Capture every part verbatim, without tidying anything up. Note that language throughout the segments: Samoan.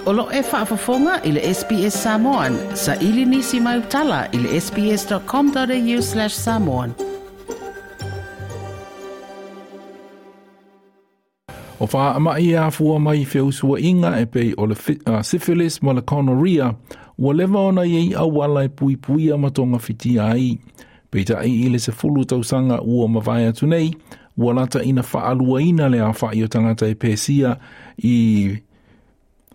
O lo e faafofoga i le S B S Samoan, sa ili nisi mai utala i le S B S dot com dot A U slash samoan. O faamai e afua mai i feusuaiga e pei o le uh, syphilis ma le gonorrhea, ua leva ona i ai auala e puipuia ma togafitia ai. Peitai i le sefulu tausaga ua mavae atu nei, ua lata ina faaluaina le aofa'i o tagata e pesia i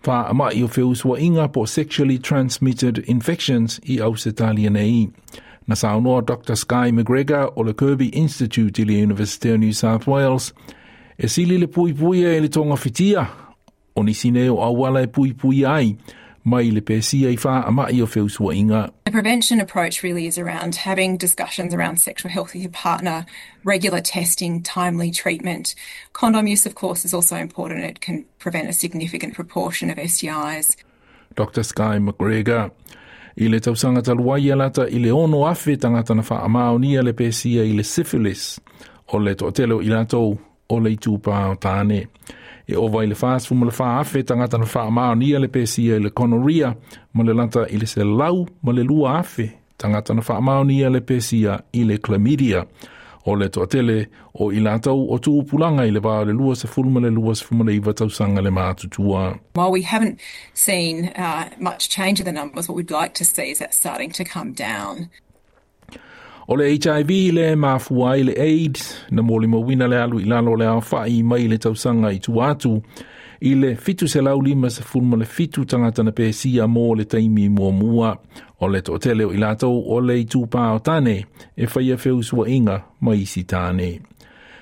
faamai o feusuaiga po sexually transmitted infections i Ausetalia nei. Na saunoa Doctor Skye McGregor o le Kirby Institute i le University of New South Wales, e sili le puipuia i le togafitia, o nisi nei o auala e puipuia ai, mai le pesia i faamai o feusuaiga. The prevention approach really is around having discussions around sexual health with your partner, regular testing, timely treatment. Condom use, of course, is also important. It can prevent a significant proportion of S T Is. Doctor Skye McGregor. I le tausaga talu ai e lata i le ono afe tagata na faamaonia le pesia i le syphilis. O le toatele o i latou o le itupa o tane. E ova i le fasefulu ma le fa afe tagata na faamaonia le pesia i le gonorrhea ma le lata i le selau ma le lua afe tagata na faamaonia le pesia i le chlamydia. O le toatele o i latou o tupulaga i le va o le lua sefulu ma le lua sefulu ma le iva tausaga le matutua. While we haven't seen uh, much change in the numbers, what we'd like to see is that starting to come down. O le H I V le mafua ai le AIDS na molimauina le alu i lalo le aofa'i mai le tausaga i tua atu i le fitu selau lima sefulu ma le fitu tagata na pesia mo le taimi muamua. O le toatele o i latou o le itupa o tane e faia feusuaiga ma isi tane.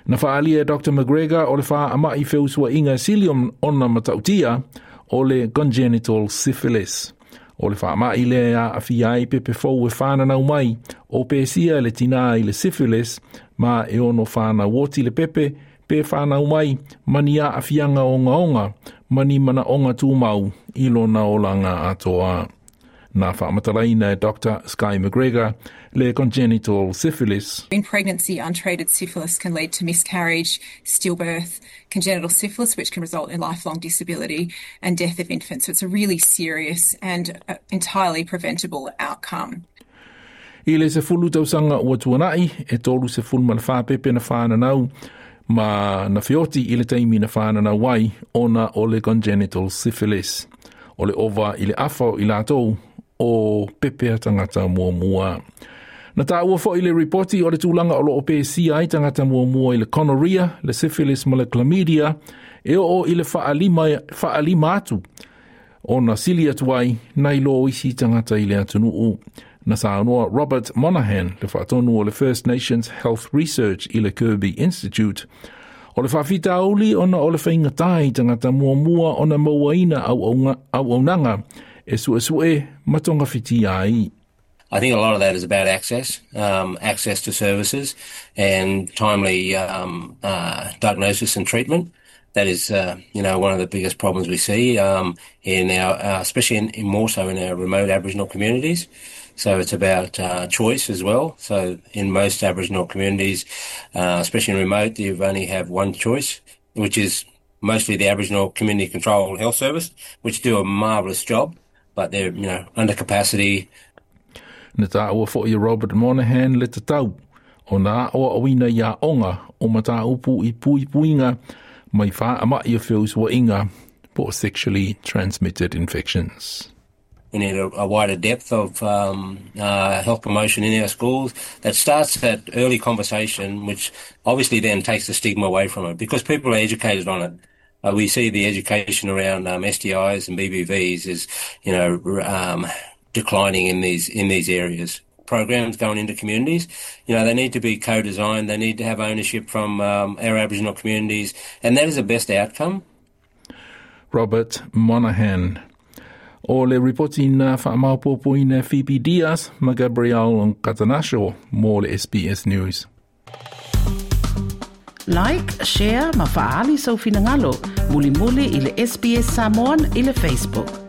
Na faalia e Doctor McGregor o le faamai feusuaiga sili ona matautia o le congenital syphilis. O le faamai lea aafia ai pepe fou e whananau mai o pesia le tina i le syphilis ma e ono whanau oti le pepe pe whanau mai mani a afianga onga onga mani mana onga tūmau i lona olanga atoa. Na faamatalaina e Doctor Skye McGregor le congenital syphilis. In pregnancy, untreated syphilis can lead to miscarriage, stillbirth, congenital syphilis, which can result in lifelong disability and death of infants. So it's a really serious and uh, entirely preventable outcome. I le sefulu tausaga ua tuana'i, e tolu sefulu ma le whā pepe na whananau ma na feoti i le taimi na whananau ai ona o le congenital syphilis. O le ova i le afa o i latou o pepe a tagata muamua. Na taua fo'i le ripoti o le tulaga o loo pesia ai tagata muamua i le gonorrhea, le syphilis ma le chlamydia, e oo i le faalima, faalima atu ona sili atu ai nai lo isi tagata i le atunuu. Na saunoa Robert Monahan, le faatonu o le First Nations Health Research i le Kirby Institute, o le faafitauli ona o le faigata i tagata muamua ona mauaina auaunaga e suesue ma togafitia ai. I think a lot of that is about access, um, access to services and timely um, uh, diagnosis and treatment. That is, uh, you know, one of the biggest problems we see um, in our, uh, especially in, in more so in our remote Aboriginal communities. So it's about uh, choice as well. So in most Aboriginal communities, uh, especially in remote, you only have one choice, which is mostly the Aboriginal Community Controlled Health Service, which do a marvellous job, but they're, you know, under capacity. Na taua fo'i Robert Monahan le tatau o nā o awina ia onga o mataupu i puipuiga mai faamai o feusuaiga po sexually transmitted infections. We need a, a wider depth of um, uh, health promotion in our schools that starts that early conversation, which obviously then takes the stigma away from it because people are educated on it. Uh, we see the education around um, S T Is and B B Vs is, you know, um, declining in these in these areas. Programs going into communities, you know, they need to be co-designed. They need to have ownership from um, our Aboriginal communities, and that is the best outcome. Robert Monahan. O le ripoti na faamaopoopoina Phoebe Diaz ma Gabriel Katanasho mo le S B S News. Like, share ma faaali sou finagalo. Mulimuli i le S B S Samoan i le Facebook.